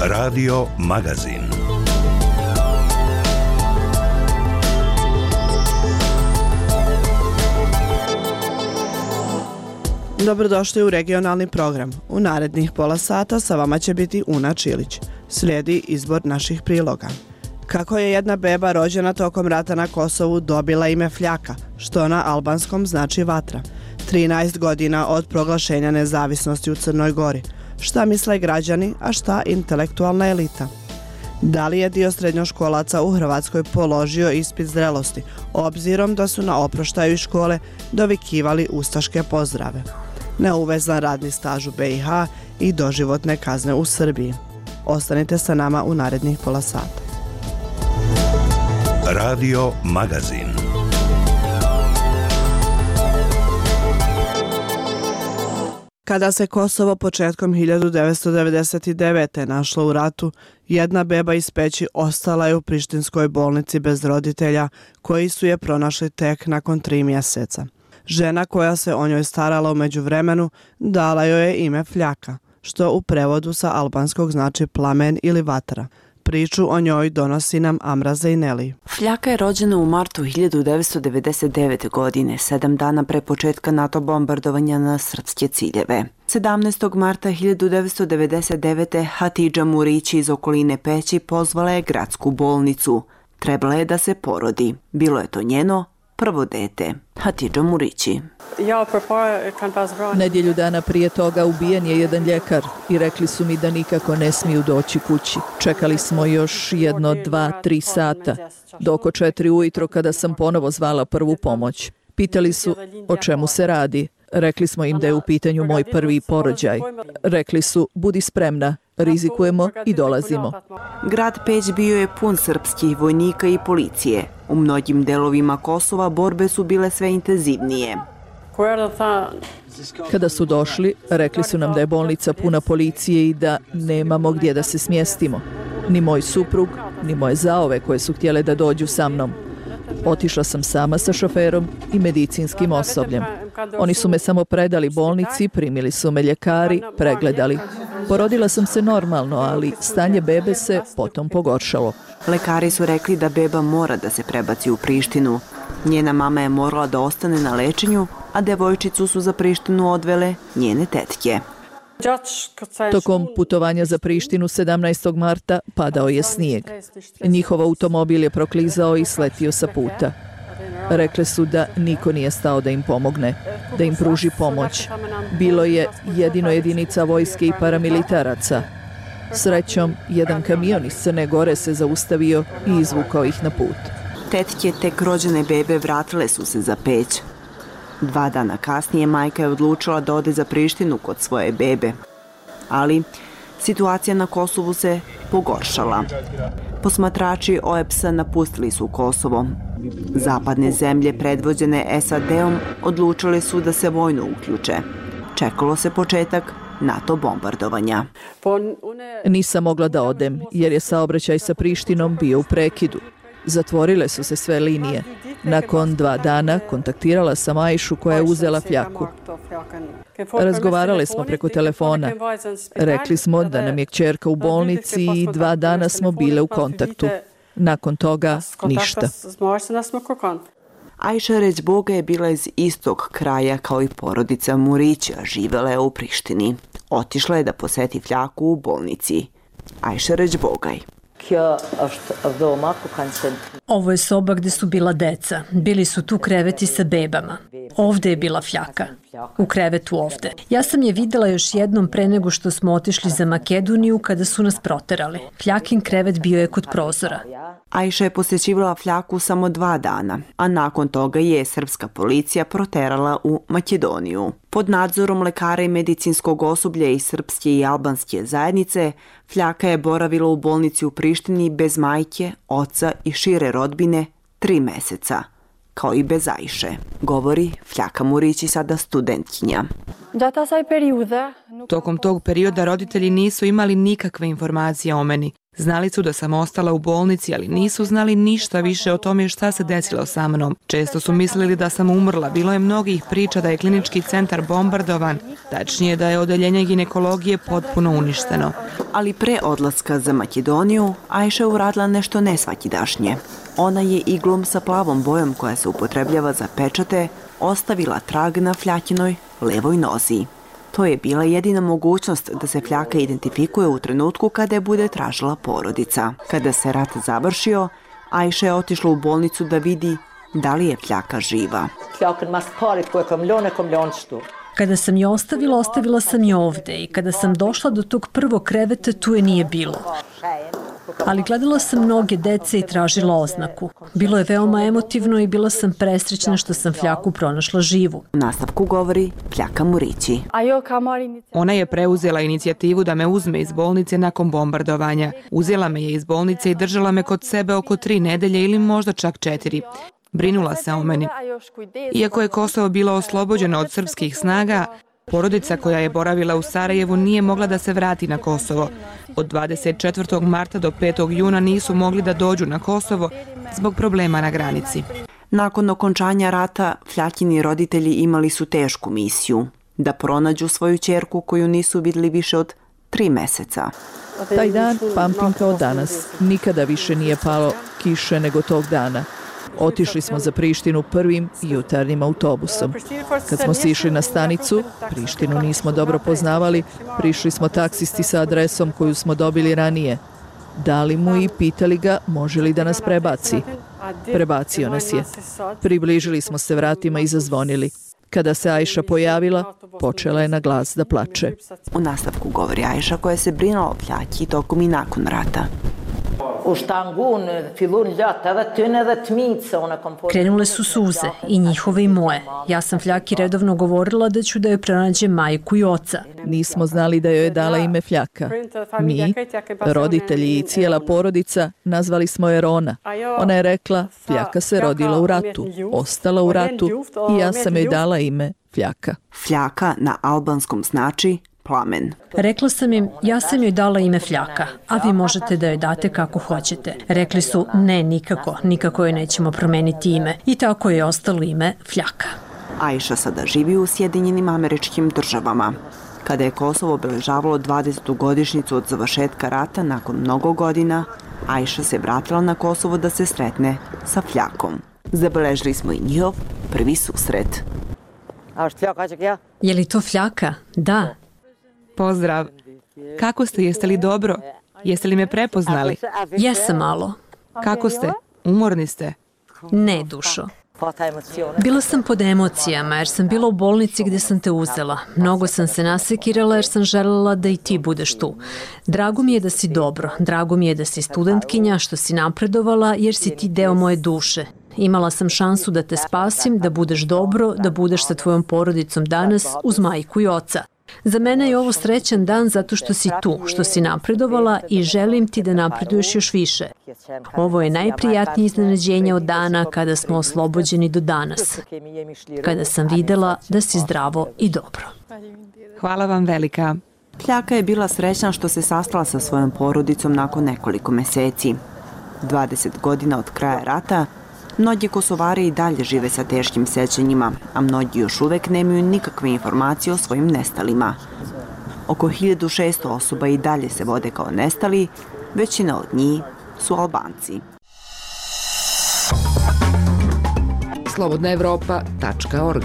Radio Magazin. Dobrodošli u regionalni program. U narednih pola sata sa vama će biti Una Čilić. Slijedi izbor naših priloga. Kako je jedna beba rođena tokom rata na Kosovu dobila ime Fljaka, što na albanskom znači vatra. 13 godina od proglašenja nezavisnosti u Crnoj Gori. Šta misle građani, a šta intelektualna elita? Da li je dio srednjoškolaca u Hrvatskoj položio ispit zrelosti, obzirom da su na oproštaju iz škole dovikivali ustaške pozdrave? Neuvezan radni staž u BiH i doživotne kazne u Srbiji. Ostanite sa nama u narednih pola sata. Radio Magazin. Kada se Kosovo početkom 1999. našlo u ratu, jedna beba iz Peći ostala je u prištinskoj bolnici bez roditelja, koji su je pronašli tek nakon 3 mjeseca. Žena koja se o njoj starala u međuvremenu dala joj je ime Fljaka, što u prevodu sa albanskog znači plamen ili vatra. Priču o njoj donosi nam Amra Zejneli. Fljaka je rođena u martu 1999. godine, 7 dana pre početka NATO bombardovanja na srpske ciljeve. 17. marta 1999. Hatidža Murići iz okoline Peći pozvala je gradsku bolnicu. Trebala je da se porodi. Bilo je to njeno prvo dete. Hatidža Murići. Nedjelju dana prije toga ubijen je jedan ljekar i rekli su mi da nikako ne smiju doći kući. Čekali smo još 1, 2, 3 sata. Do oko 4 ujutro kada sam ponovo zvala prvu pomoć. Pitali su o čemu se radi. Rekli smo im da je u pitanju moj prvi porođaj. Rekli su budi spremna, rizikujemo i dolazimo. Grad Peć bio je pun srpskih vojnika i policije. U mnogim delovima Kosova borbe su bile sve intenzivnije. Kada su došli, rekli su nam da je bolnica puna policije i da nemamo gdje da se smjestimo. Ni moj suprug, ni moje zaove koje su htjele da dođu sa mnom. Otišla sam sama sa šoferom i medicinskim osobljem. Oni su me samo predali bolnici, primili su me ljekari, pregledali. Porodila sam se normalno, ali stanje bebe se potom pogoršalo. Lekari su rekli da beba mora da se prebaci u Prištinu. Njena mama je morala da ostane na lečenju, a devojčicu su za Prištinu odvele njene tetke. Tokom putovanja za Prištinu 17. marta padao je snijeg. Njihov automobil je proklizao i sletio sa puta. Rekli su da niko nije stao da im pomogne, da im pruži pomoć. Bilo je jedino jedinica vojske i paramilitaraca. Srećom, jedan kamion iz Crne Gore se zaustavio i izvukao ih na put. Tetke tek rođene bebe vratile su se za Peć. 2 dana kasnije majka je odlučila da ode za Prištinu kod svoje bebe. Ali situacija na Kosovu se pogoršala. Posmatrači OEBS-a napustili su Kosovo. Zapadne zemlje predvođene SAD-om odlučile su da se vojno uključe. Čekalo se početak NATO bombardovanja. Nisam mogla da odem jer je saobraćaj sa Prištinom bio u prekidu. Zatvorile su se sve linije. Nakon 2 dana kontaktirala sam Ajšu koja je uzela Fljaku. Razgovarale smo preko telefona. Rekli smo da nam je kćerka u bolnici i 2 dana smo bile u kontaktu. Nakon toga ništa. Ajša Ređboga je bila iz istog kraja kao i porodica Murića, živela je u Prištini. Otišla je da poseti Fljaku u bolnici. Ajša Ređbogaj. Ovo je soba gdje su bila deca. Bili su tu kreveti sa bebama. Ovdje je bila Fljaka. U krevetu ovdje. Ja sam je vidjela još jednom pre nego što smo otišli za Makedoniju kada su nas proterali. Fljakin krevet bio je kod prozora. Ajša je posjećivala Fljaku samo 2 dana, a nakon toga je srpska policija proterala u Makedoniju. Pod nadzorom lekara i medicinskog osoblja iz srpske i albanske zajednice, Fljaka je boravila u bolnici u Prištini bez majke, oca i šire rodbine 3 mjeseca, kao i bez Ajše, govori Fljaka Murići, sada studentkinja. Tokom tog perioda roditelji nisu imali nikakve informacije o meni. Znali su da sam ostala u bolnici, ali nisu znali ništa više o tome šta se desilo sa mnom. Često su mislili da sam umrla. Bilo je mnogih priča da je klinički centar bombardovan, tačnije da je odeljenje ginekologije potpuno uništeno. Ali pre odlaska za Makedoniju, Ajša je uradila nešto nesvakidašnje. Ona je iglom sa plavom bojom koja se upotrebljava za pečate ostavila trag na fljakinoj levoj nozi. To je bila jedina mogućnost da se fljaka identifikuje u trenutku kada je bude tražila porodica. Kada se rat završio, Ajša je otišla u bolnicu da vidi da li je fljaka živa. Kada sam je ostavila, ostavila sam je ovde i kada sam došla do tog prvog kreveta, tu je nije bilo. Ali gledala sam mnoge dece i tražila oznaku. Bilo je veoma emotivno i bila sam presrećna što sam fljaku pronašla živu. U nastavku govori Fljaka Murići. Ona je preuzela inicijativu da me uzme iz bolnice nakon bombardovanja. Uzela me je iz bolnice i držala me kod sebe oko 3 nedelje ili možda čak 4. Brinula se o meni. Iako je Kosovo bilo oslobođeno od srpskih snaga, porodica koja je boravila u Sarajevu nije mogla da se vrati na Kosovo. Od 24. marta do 5. juna nisu mogli da dođu na Kosovo zbog problema na granici. Nakon okončanja rata, Fljakini roditelji imali su tešku misiju da pronađu svoju ćerku koju nisu vidjeli više od 3 meseca. Taj dan pamtim kao danas. Nikada više nije palo kiše nego tog dana. Otišli smo za Prištinu prvim jutarnjim autobusom. Kad smo sišli na stanicu, Prištinu nismo dobro poznavali, prišli smo taksisti sa adresom koju smo dobili ranije. Dali mu i pitali ga može li da nas prebaci. Prebacio nas je. Približili smo se vratima i zazvonili. Kada se Ajša pojavila, počela je na glas da plače. U nastavku govori Ajša koja se brinula o Fljaki tokom i nakon rata. Krenule su suze, i njihove i moje. Ja sam Fljaki redovno govorila da ću da joj pronađem majku i oca. Nismo znali da joj je dala ime Fljaka. Mi, roditelji i cijela porodica, nazvali smo je Rona. Ona je rekla, Fljaka se rodila u ratu, ostala u ratu i ja sam joj dala ime Fljaka. Fljaka na albanskom znači plamen. Rekla sam im, ja sam joj dala ime Fljaka, a vi možete da joj date kako hoćete. Rekli su, ne, nikako joj nećemo promeniti ime. I tako je ostalo ime Fljaka. Ajša sada živi u Sjedinjenim Američkim Državama. Kada je Kosovo obeležavalo 20. godišnjicu od završetka rata nakon mnogo godina, Ajša se vratila na Kosovo da se sretne sa Fljakom. Zabeležili smo i njihov prvi susret. Je li to Fljaka? Da. Pozdrav. Kako ste? Jeste li dobro? Jeste li me prepoznali? Jesam malo. Kako ste? Umorni ste? Ne, dušo. Bila sam pod emocijama jer sam bila u bolnici gdje sam te uzela. Mnogo sam se nasekirala jer sam željela da i ti budeš tu. Drago mi je da si dobro. Drago mi je da si studentkinja, što si napredovala jer si ti deo moje duše. Imala sam šansu da te spasim, da budeš dobro, da budeš sa tvojom porodicom danas uz majku i oca. Za mene je ovo srećan dan zato što si tu, što si napredovala i želim ti da napreduješ još više. Ovo je najprijatnije iznenađenje od dana kada smo oslobođeni do danas. Kada sam videla da si zdravo i dobro. Hvala vam velika. Fljaka je bila srećna što se sastala sa svojom porodicom nakon nekoliko meseci. 20 godina od kraja rata, mnogi Kosovari i dalje žive sa teškim sećanjima, a mnogi još uvek nemaju nikakve informacije o svojim nestalima. Oko 1600 osoba i dalje se vode kao nestali, većina od njih su Albanci. slobodnaevropa.org.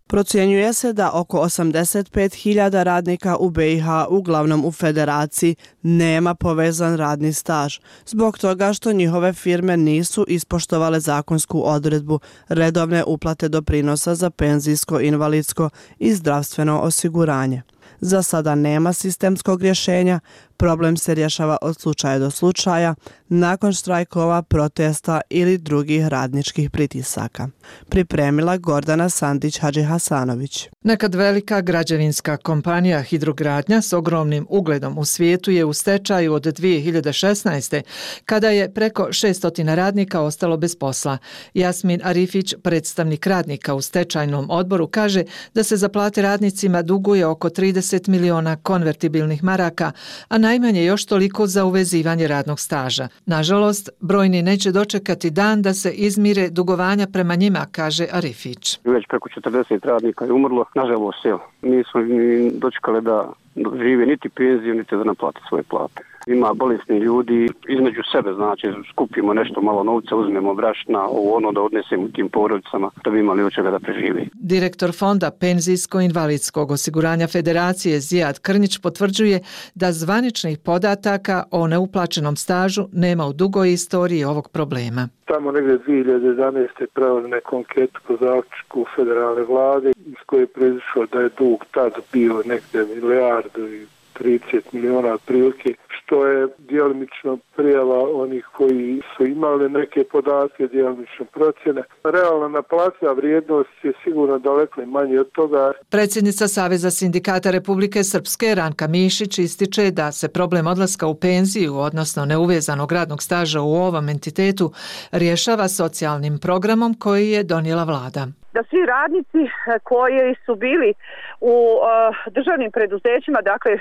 Procjenjuje se da oko 85.000 radnika u BiH, uglavnom u Federaciji, nema povezan radni staž, zbog toga što njihove firme nisu ispoštovale zakonsku odredbu redovne uplate doprinosa za penzijsko, invalidsko i zdravstveno osiguranje. Za sada nema sistemskog rješenja, Problem se rješava od slučaja do slučaja, nakon štrajkova, protesta ili drugih radničkih pritisaka. Pripremila Gordana Sandić-Hadžihasanović. Nekad velika građevinska kompanija Hidrogradnja s ogromnim ugledom u svijetu je u stečaju od 2016. kada je preko 600 radnika ostalo bez posla. Jasmin Arifić, predstavnik radnika u stečajnom odboru, kaže da se za plate radnicima duguje oko 30 miliona konvertibilnih maraka, a najmanje još toliko za uvezivanje radnog staža. Nažalost, brojni neće dočekati dan da se izmire dugovanja prema njima, kaže Arifić. Već preko 40 radnika je umrlo, nažalost, nismo ni dočekali da žive niti penziju, niti da naplate svoje plate. Ima bolesni ljudi, između sebe, znači skupimo nešto malo novca, uzmemo brašna, ono da odnesemo tim porodicama da bi imali od čega da preživi. Direktor Fonda penzijsko-invalidskog osiguranja Federacije Zijad Krnjić potvrđuje da zvaničnih podataka o neuplaćenom stažu nema u dugoj istoriji ovog problema. Tamo negdje 2011. pravili neku anketu po zaključku federalne vlade iz koje je proizišlo da je dug tad bio negdje milijardu i 30 miliona otprilike, što je djelomično prijava onih koji su imali neke podatke, djelomično procjene. Realna naplativa vrijednost je sigurno daleko manje od toga. Predsjednica Saveza sindikata Republike Srpske Ranka Mišić ističe da se problem odlaska u penziju, odnosno neuvezanog radnog staža u ovom entitetu, rješava socijalnim programom koji je donijela vlada. Da svi radnici koji su bili u državnim preduzećima, dakle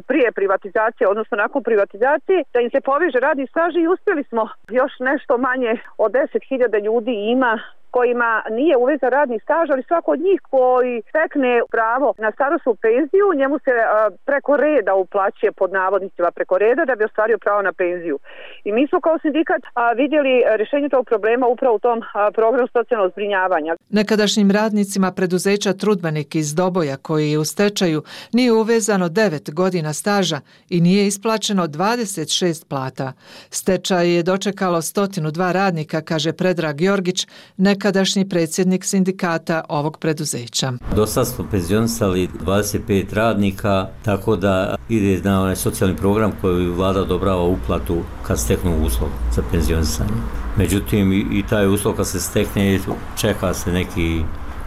prije privatizacije, odnosno nakon privatizacije, da im se poveže radni staž i uspjeli smo još nešto manje od 10.000 ljudi ima kojima nije uvezan radni staž, ali svako od njih koji stekne pravo na starosnu penziju, njemu se preko reda uplaćuje, pod navodnicima preko reda, da bi ostvario pravo na penziju. I mi smo kao sindikat vidjeli rješenje tog problema upravo u tom programu socijalnog zbrinjavanja. Nekadašnjim radnicima preduzeća Trudbenik iz Doboja, koji je u stečaju, nije uvezano 9 godina staža i nije isplaćeno 26 plata. Stečaj je dočekalo 102 radnika, kaže Predrag Jorgić, nekadašnji predsjednik sindikata ovog preduzeća. Do sad smo penzionisali 25 radnika, tako da ide na onaj socijalni program koji vlada odobrava uplatu kad steknu uslov za penzionisanje. Međutim, i taj uslov kad se stekne, čeka se neki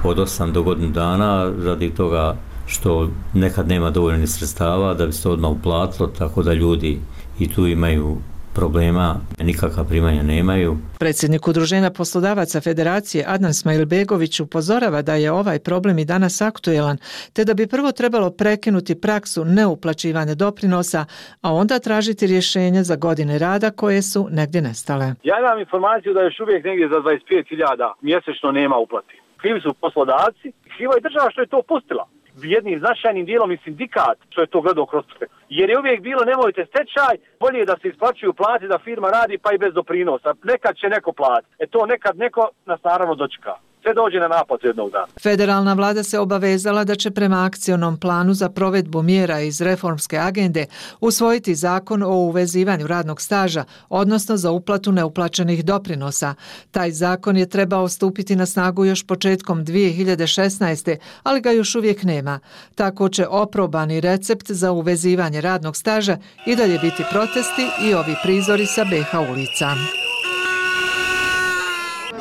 od 8 do godinu dana, radi toga što nekad nema dovoljno sredstava da bi se odmah uplatilo, tako da ljudi i tu imaju problema, nikakva primanja nemaju. Predsjednik Udruženja poslodavaca Federacije Adnan Smajlbegović upozorava da je ovaj problem i danas aktuelan, te da bi prvo trebalo prekinuti praksu neuplaćivanja doprinosa, a onda tražiti rješenje za godine rada koje su negdje nestale. Ja imam informaciju da još uvijek negdje za 25.000 mjesečno nema uplati. Krivi su poslodavci, kriva je država što je to pustila. Jednim značajnim dijelom i sindikat što je to gledao kroz prste. Jer je uvijek bilo nemojte stečaj, bolje je da se isplaćuju plate da firma radi pa i bez doprinosa. Nekad će neko platiti. To nekad neko nas naravno dočeka. Sve dođe na naplatu jednog dana. Federalna vlada se obavezala da će prema akcionom planu za provedbu mjera iz reformske agende usvojiti zakon o uvezivanju radnog staža, odnosno za uplatu neuplaćenih doprinosa. Taj zakon je trebao stupiti na snagu još početkom 2016. ali ga još uvijek nema. Tako će oprobani recept za uvezivanje radnog staža i dalje biti protesti i ovi prizori sa BH ulica.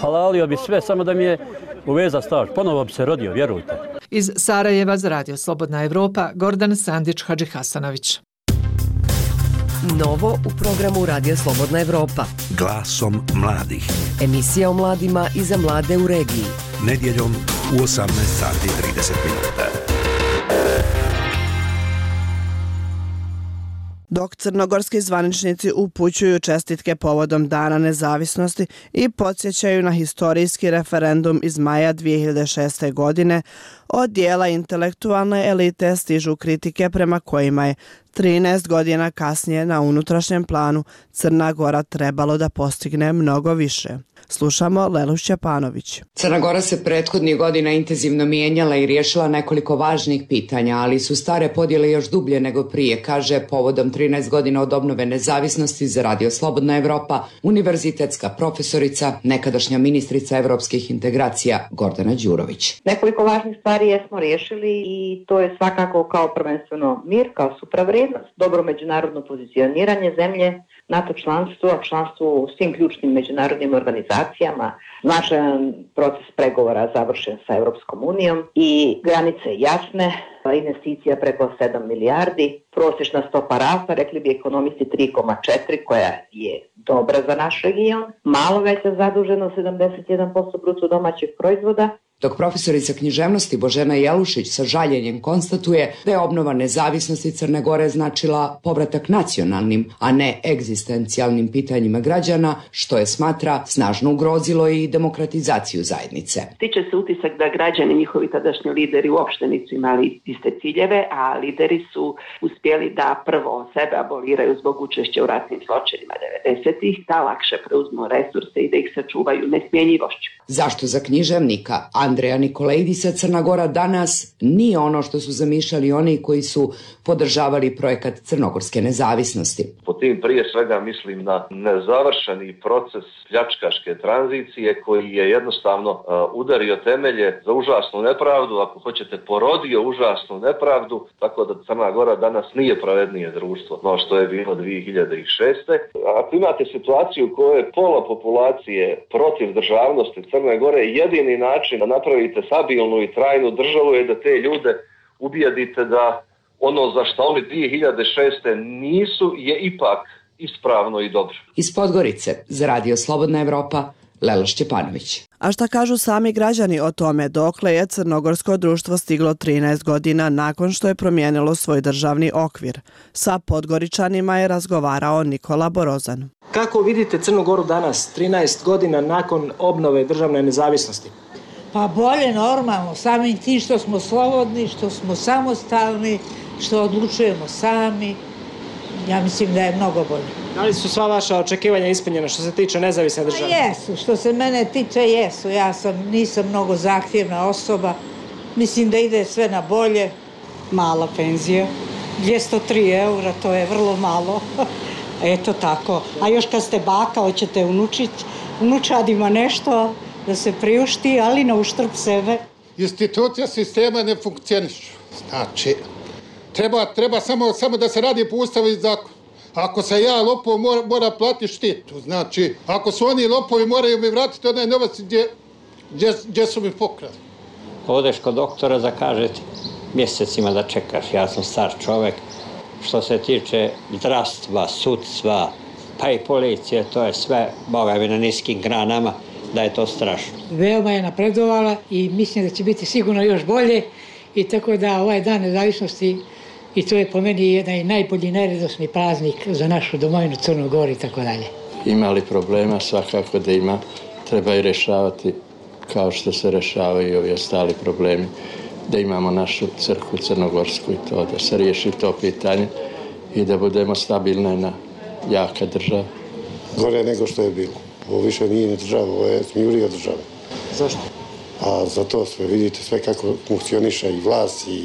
Halalio bi sve, samo da mi je uveza staž. Ponovo bi se rodio, vjerujte. Iz Sarajeva za Radio Slobodna Evropa, Gordan Sandić-Hadžihasanović. Novo u programu Radio Slobodna Evropa. Glasom mladih. Emisija o mladima i za mlade u regiji. Nedjeljom u 18:30. Dok crnogorski zvaničnici upućuju čestitke povodom Dana nezavisnosti i podsjećaju na historijski referendum iz maja 2006. godine, od dijela intelektualne elite stižu kritike prema kojima je 13 godina kasnije na unutrašnjem planu Crna Gora trebalo da postigne mnogo više. Slušamo Lelu Šćepanović. Crna Gora se prethodnih godina intenzivno mijenjala i riješila nekoliko važnih pitanja, ali su stare podjele još dublje nego prije, kaže povodom 13 godina od obnove nezavisnosti za Radio Slobodna Evropa univerzitetska profesorica, nekadašnja ministrica evropskih integracija Gordana Đurović. Nekoliko važnih stvari jesmo riješili i to je svakako kao prvenstveno mir, kao supravrijednost stabilnost, dobro međunarodno pozicioniranje zemlje, NATO članstvo, članstvo u svim ključnim međunarodnim organizacijama, značajan proces pregovora završen sa Europskom unijom i granice jasne, investicija preko 7 milijardi, prosječna stopa rasta, rekli bi ekonomisti 3,4, koja je dobra za naš region, malo veća zaduženost 71% bruto domaćeg proizvoda. Dok profesorica književnosti Božena Jelušić sa žaljenjem konstatuje da je obnova nezavisnosti Crne Gore značila povratak nacionalnim, a ne egzistencijalnim pitanjima građana, što je, smatra, snažno ugrozilo i demokratizaciju zajednice. Stiče se utisak da građani, njihovi tadašnji lideri, uopšte nisu imali iste ciljeve, a lideri su uspjeli da prvo sebe aboliraju zbog učešća u ratnim zločinima 90-ih, da lakše preuzmu resurse i da ih sačuvaju nesmjenjivošću. Zašto za književnika Andreja Nikolaidisa Crna Gora danas nije ono što su zamišljali oni koji su podržavali projekat crnogorske nezavisnosti? Po tim prije svega mislim na nezavršeni proces pljačkaške tranzicije koji je jednostavno udario temelje za užasnu nepravdu, ako hoćete porodio užasnu nepravdu, tako da Crna Gora danas nije pravednije društvo no što je bilo 2006. Ako imate situaciju u kojoj je pola populacije protiv državnosti Crne Gore, jedini način da napravite stabilnu i trajnu državu je da te ljude ubijedite da ono za što oni 2006. nisu je ipak ispravno i dobro. Iz Podgorice za Radio Slobodna Evropa, Lela Šćepanović. A šta kažu sami građani o tome dokle je crnogorsko društvo stiglo 13 godina nakon što je promijenilo svoj državni okvir? Sa Podgoričanima je razgovarao Nikola Borozan. Kako vidite Crnu Goru danas, 13 godina nakon obnove državne nezavisnosti? Pa bolje, normalno, samim tim što smo slobodni, što smo samostalni, što odlučujemo sami. Ja mislim da je mnogo bolje. Da li su sva vaša očekivanja ispunjena što se tiče nezavisne države? Jesu, što se mene tiče jesu. Nisam mnogo zahtjevna osoba. Mislim da ide sve na bolje. Mala penzija, 203 eura, to je vrlo malo. Eto tako. A još kad ste baka, hoćete unučadima nešto da se priušti, ali na uštrb sebe. Institucija sistema ne funkcionišu. Znači, treba samo da se radi po ustavu i zakonu. Ako se ja lopov mora platiti štitu, znači, ako su oni lopovi moraju mi vratiti onaj novac gdje su mi pokrali. Odeš kod doktora, zakažete mjesecima da čekaš, ja sam star čovjek. Što se tiče zdravstva, sudstva, pa i policije, to je sve, boga mi, na niskim granama, da je to strašno. Veoma je napredovala i mislim da će biti sigurno još bolje i tako da ovaj dan nezavisnosti, i to je po meni jedan najbolji neredosni praznik za našu domovinu Crnu Goru i tako dalje. Ima li problema? Svakako da ima. Treba i rješavati kao što se rješavaju i ovi ostali problemi. Da imamo našu crkvu crnogorsku i to, da se riješi to pitanje i da budemo stabilna i jaka država. Gore nego što je bilo. Ovo više nije država, ovo je smjurija države. Zašto? A zato sve vidite sve kako funkcioniše i vlast i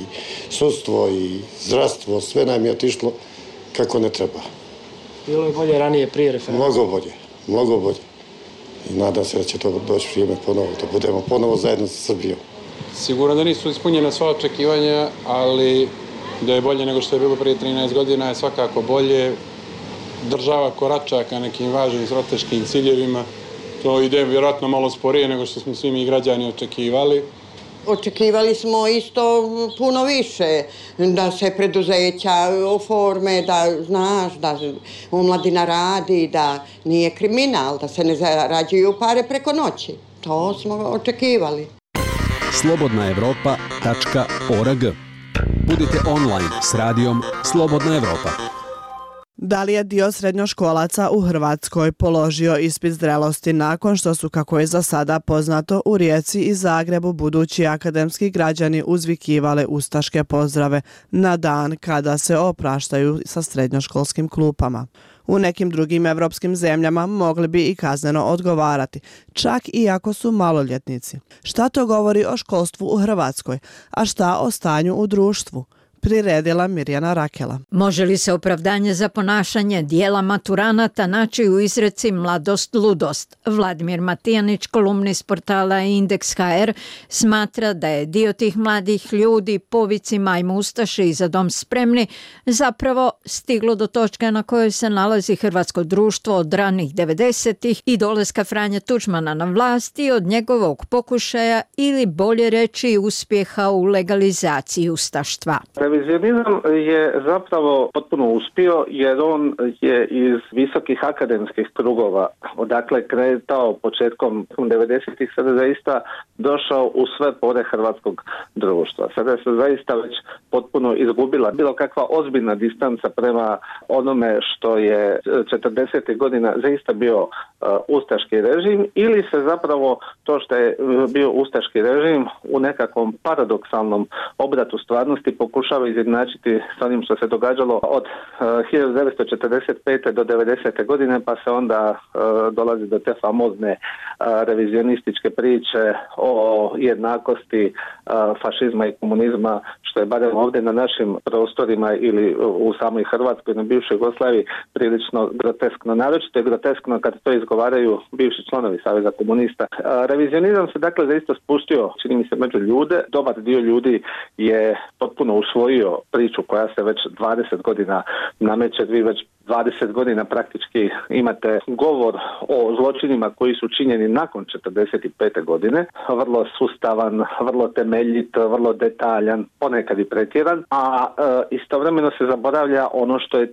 sudstvo i zdravstvo, sve nam je otišlo kako ne treba. Bilo je bolje ranije prije referenduma? Mnogo bolje. I nadam se da će to doći vrijeme ponovo, da budemo ponovo zajedno sa Srbijom. Sigurno da nisu ispunjena sva očekivanja, ali da je bolje nego što je bilo prije 13 godina je svakako bolje. Država korača ka nekim važnim strateškim ciljevima. To ide vjerojatno malo sporije nego što smo svi mi građani očekivali. Očekivali smo isto puno više, da se preduzeća oforme, da znaš, da omladina radi, da nije kriminal, da se ne zarađuju pare preko noći. To smo očekivali. slobodnaevropa.org. Budite online s radijom Slobodna Evropa. Da li je dio srednjoškolaca u Hrvatskoj položio ispit zrelosti nakon što su, kako je za sada poznato, u Rijeci i Zagrebu budući akademski građani uzvikivale ustaške pozdrave na dan kada se opraštaju sa srednjoškolskim klupama? U nekim drugim evropskim zemljama mogli bi i kazneno odgovarati, čak i ako su maloljetnici. Šta to govori o školstvu u Hrvatskoj, a šta o stanju u društvu? priredila Mirjana Rakela. Može li se opravdanje za ponašanje dijela maturanata naći u izreci mladost, ludost? Vladimir Matijanić, kolumnist portala Indeks.hr, smatra da je dio tih mladih ljudi po vicima ajmo ustaše i za dom spremni zapravo stiglo do točke na kojoj se nalazi hrvatsko društvo od ranih 90-ih i dolaska Franje Tuđmana na vlasti od njegovog pokušaja ili bolje reći uspjeha u legalizaciji ustaštva. Revizionizam je zapravo potpuno uspio jer on je iz visokih akademskih krugova, odakle kretao početkom 90-ih, sada zaista došao u sve pore hrvatskog društva. Sada se zaista već potpuno izgubila bilo kakva ozbiljna distanca prema onome što je 40. godina zaista bio ustaški režim, ili se zapravo to što je bio ustaški režim u nekakvom paradoksalnom obratu stvarnosti pokušava izjednačiti s onim što se događalo od 1945. do 90. godine, pa se onda dolazi do te famozne revizionističke priče o jednakosti fašizma i komunizma, što je barem ovdje na našim prostorima ili u samoj Hrvatskoj, na bivšoj Jugoslaviji, prilično groteskno. Naročito je groteskno kad to izgovaraju bivši članovi Saveza komunista. Revizionizam se dakle zaista spustio, čini mi se, među ljude. Dobar dio ljudi je potpuno usvojio priču koja se već 20 godina nameće. Vi već 20 godina praktički imate govor o zločinima koji su činjeni nakon 45. godine. Vrlo sustavan, vrlo temeljit, vrlo detaljan, ponekad i pretjeran, a istovremeno se zaboravlja ono što je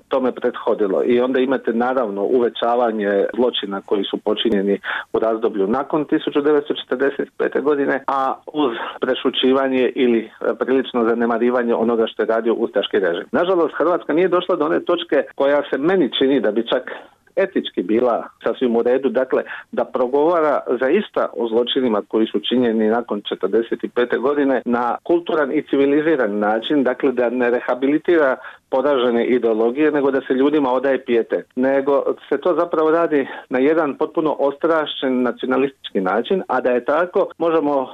tome prethodilo. I onda imate naravno uvećavanje zločina koji su počinjeni u razdoblju nakon 1945. godine, a uz prešućivanje ili prilično zanemarivanje onoga što je radio ustaški režim. Nažalost, Hrvatska nije došla do one točke koja se meni čini da bi čak etički bila sasvim u redu, dakle da progovara zaista o zločinima koji su činjeni nakon 45. godine na kulturan i civiliziran način, dakle da ne rehabilitira poražene ideologije, nego da se ljudima odaje pijetet. Nego se to zapravo radi na jedan potpuno ostrašćen nacionalistički način, a da je tako možemo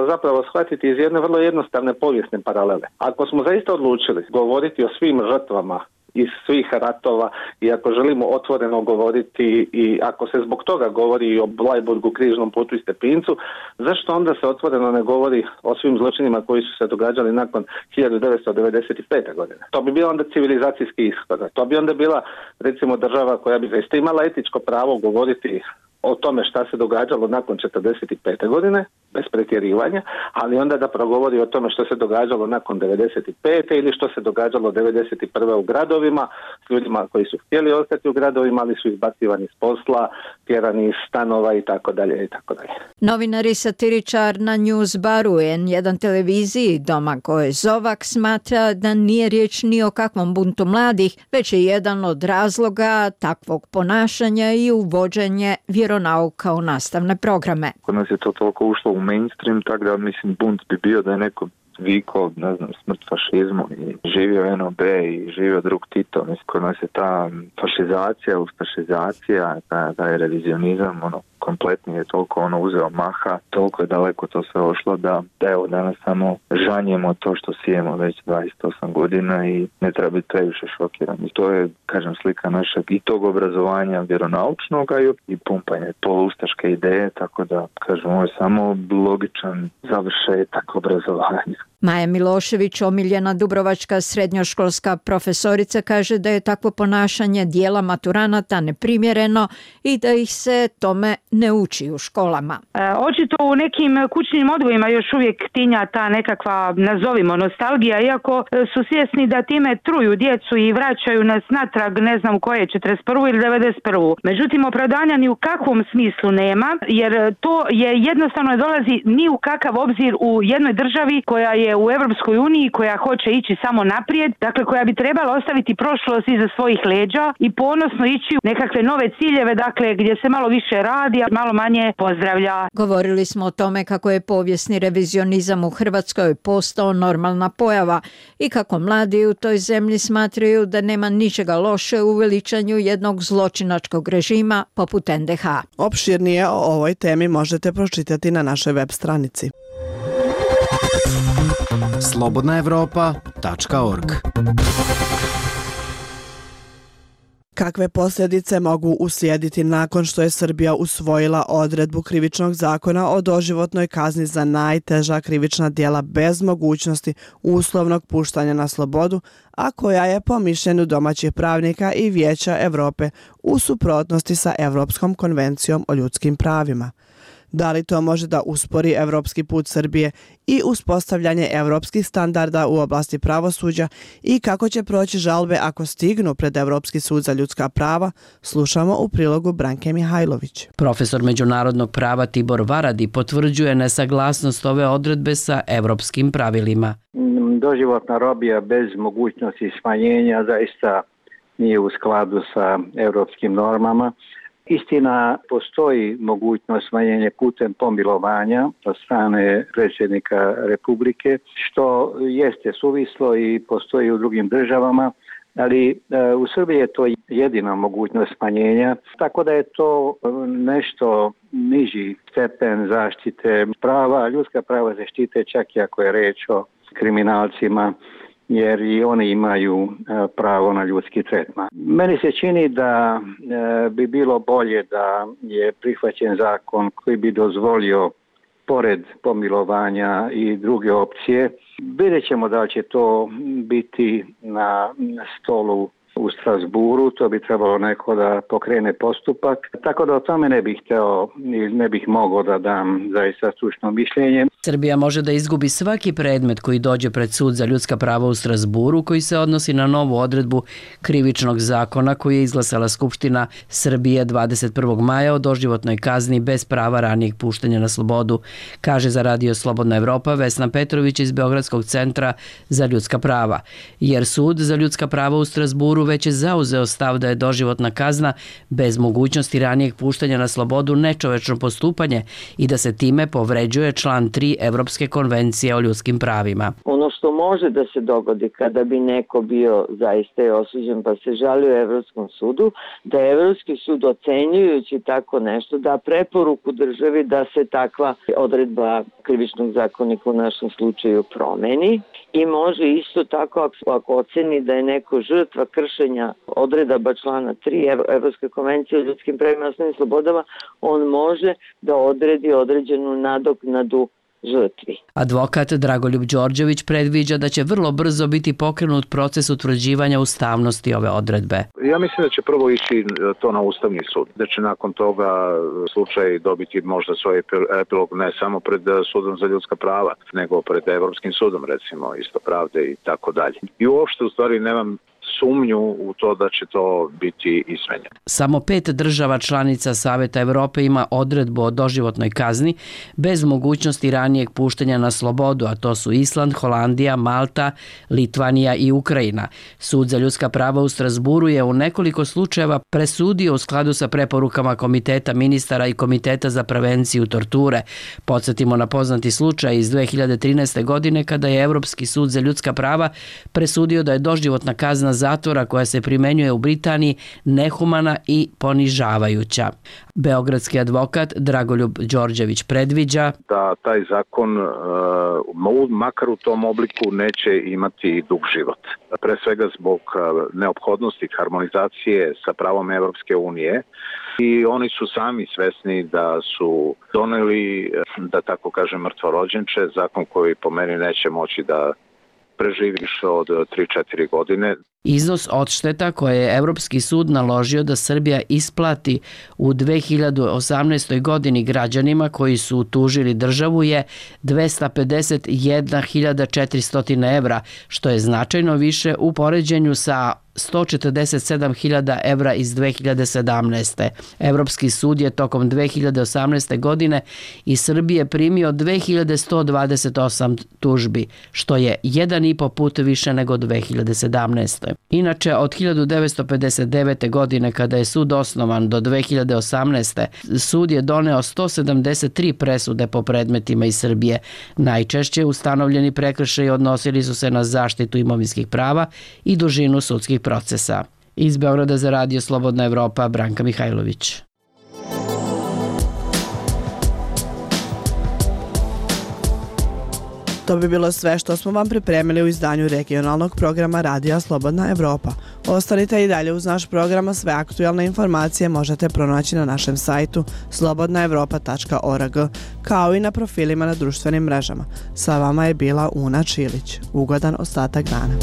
zapravo shvatiti iz jedne vrlo jednostavne povijesne paralele. Ako smo zaista odlučili govoriti o svim žrtvama iz svih ratova i ako želimo otvoreno govoriti i ako se zbog toga govori i o Bleiburgu, Križnom putu i Stepincu, zašto onda se otvoreno ne govori o svim zločinima koji su se događali nakon 1995. godine? To bi bio onda civilizacijski ishod. To bi onda bila recimo država koja bi zaista imala etičko pravo govoriti o tome šta se događalo nakon 45. godine, bez pretjerivanja, ali onda da progovori o tome što se događalo nakon 95. ili što se događalo 91. u gradovima, s ljudima koji su htjeli ostati u gradovima, ali su izbacivani s posla, tjerani iz stanova i tako dalje i tako dalje. Novinar i satiričar na Newsbaru N1 televiziji Domagoj Zovak smatra da nije riječ ni o kakvom buntu mladih, već je jedan od razloga takvog ponašanja i uvođenje vjeronauka u nastavne programe. Kod nas je to toliko ušlo u mainstream, tako da mislim bunt bi bio da je neko vikao, ne znam, smrt fašizmu i živio NOB i živio drug Tito. Mislim, kod nas je ta fašizacija, ustašizacija, da je revizionizam, kompletni je toliko uzeo maha, toliko je daleko to sve ošlo da evo danas samo žanjemo to što sijemo već 28 godina i ne treba biti previše šokiran. I to je, kažem, slika našeg i tog obrazovanja vjeronaučnog i pumpanje polustaške ideje, tako da, kažem, ovo je samo logičan završetak obrazovanja. Maja Milošević, omiljena dubrovačka srednjoškolska profesorica, kaže da je takvo ponašanje dijela maturanata neprimjereno i da ih se tome ne uči u školama. Očito u nekim kućnim odgojima još uvijek tinja ta nekakva, nazovimo, nostalgija, iako su svjesni da time truju djecu i vraćaju nas natrag, ne znam koje, 41. ili 91. Međutim, opravdanja ni u kakvom smislu nema, jer to je jednostavno ne dolazi ni u kakav obzir u jednoj državi koja je u Europskoj uniji, koja hoće ići samo naprijed, dakle koja bi trebala ostaviti prošlost iza svojih leđa i ponosno ići u nekakve nove ciljeve, dakle gdje se malo više radi, a malo manje pozdravlja. Govorili smo o tome kako je povijesni revizionizam u Hrvatskoj postao normalna pojava i kako mladi u toj zemlji smatraju da nema ničega loše u veličanju jednog zločinačkog režima poput NDH. Opširnije o ovoj temi možete pročitati na našoj web stranici. slobodnaevropa.org. Kakve posljedice mogu uslijediti nakon što je Srbija usvojila odredbu krivičnog zakona o doživotnoj kazni za najteža krivična djela bez mogućnosti uslovnog puštanja na slobodu, a koja je po mišljenju domaćih pravnika i Vijeća Europe u suprotnosti sa Europskom konvencijom o ljudskim pravima? Da li to može da uspori evropski put Srbije i uspostavljanje evropskih standarda u oblasti pravosuđa i kako će proći žalbe ako stignu pred Evropski sud za ljudska prava, slušamo u prilogu Branke Mihajlović. Profesor međunarodnog prava Tibor Varadi potvrđuje nesaglasnost ove odredbe sa evropskim pravilima. Doživotna robija bez mogućnosti smanjenja zaista nije u skladu sa evropskim normama. Istina, postoji mogućnost smanjenja putem pomilovanja od strane predsjednika Republike, što jeste suvislo i postoji u drugim državama, ali u Srbiji je to jedina mogućnost smanjenja, tako da je to nešto niži stepen zaštite prava. Ljudska prava se štite čak i ako je reč o kriminalcima, jer i oni imaju pravo na ljudski tretman. Meni se čini da bi bilo bolje da je prihvaćen zakon koji bi dozvolio pored pomilovanja i druge opcije. Vidjet ćemo da će to biti na stolu u Strasburu, to bi trebalo neko da pokrene postupak. Tako da o tome ne bih mogao da dam zaista stručno mišljenje. Srbija može da izgubi svaki predmet koji dođe pred sud za ljudska prava u Strasburu, koji se odnosi na novu odredbu krivičnog zakona koju je izglasala Skupština Srbije 21. maja o doživotnoj kazni bez prava ranijeg puštanja na slobodu, kaže za Radio Slobodna Evropa Vesna Petrović iz Beogradskog centra za ljudska prava. Jer sud za ljudska prava u Strasburu već je zauzeo stav da je doživotna kazna bez mogućnosti ranijeg puštanja na slobodu nečovečno postupanje i da se time povređuje član 3 Evropske konvencije o ljudskim pravima. Ono što može da se dogodi kada bi neko bio zaista osuđen pa se žalio Evropskom sudu, da je Evropski sud ocenjujući tako nešto da preporuku državi da se takva odredba krivičnog zakonika u našem slučaju promeni i može isto tako ako oceni da je neko žrtva kršenja odredaba člana 3 Evropske konvencije o ljudskim pravima i osnovnim slobodama, on može da odredi određenu nadoknadu žrtvi. Advokat Dragoljub Đorđević predviđa da će vrlo brzo biti pokrenut proces utvrđivanja ustavnosti ove odredbe. Ja mislim da će prvo ići to na Ustavni sud, da će nakon toga slučaj dobiti možda svoj epilog ne samo pred sudom za ljudska prava, nego pred Evropskim sudom, recimo, isto pravde i tako dalje. I uopšte u stvari nemam sumnju u to da će to biti izmenjeno. Samo 5 država članica Saveta Evrope ima odredbu o doživotnoj kazni bez mogućnosti ranijeg puštanja na slobodu, a to su Island, Holandija, Malta, Litvanija i Ukrajina. Sud za ljudska prava u Strasburu je u nekoliko slučajeva presudio u skladu sa preporukama Komiteta ministara i Komiteta za prevenciju torture. Podsjetimo na poznati slučaj iz 2013. godine kada je Evropski sud za ljudska prava presudio da je doživotna kazna zatvora koja se primenjuje u Britaniji nehumana i ponižavajuća. Beogradski advokat Dragoljub Đorđević predviđa da taj zakon makar u tom obliku neće imati dug život. Pre svega zbog neophodnosti harmonizacije sa pravom Evropske unije i oni su sami svesni da su doneli, da tako kažem, mrtvorođenče, zakon koji po meni neće moći da preživi više od 3-4 godine. Iznos odšteta koje je Evropski sud naložio da Srbija isplati u 2018. godini građanima koji su tužili državu je 251.400 evra, što je značajno više u poređenju sa 147.000 evra iz 2017. Evropski sud je tokom 2018. godine iz Srbije primio 2128 tužbi, što je 1,5 put više nego 2017. Inače, od 1959. godine kada je sud osnovan do 2018. sud je doneo 173 presude po predmetima iz Srbije. Najčešće ustanovljeni prekršaji odnosili su se na zaštitu imovinskih prava i dužinu sudskih procesa. Iz Beograda za Radio Slobodna Evropa, Branka Mihajlović. To bi bilo sve što smo vam pripremili u izdanju regionalnog programa Radija Slobodna Evropa. Ostanite i dalje uz naš program, a sve aktualne informacije možete pronaći na našem sajtu slobodnaevropa.org, kao i na profilima na društvenim mrežama. Sa vama je bila Una Čilić. Ugodan ostatak dana.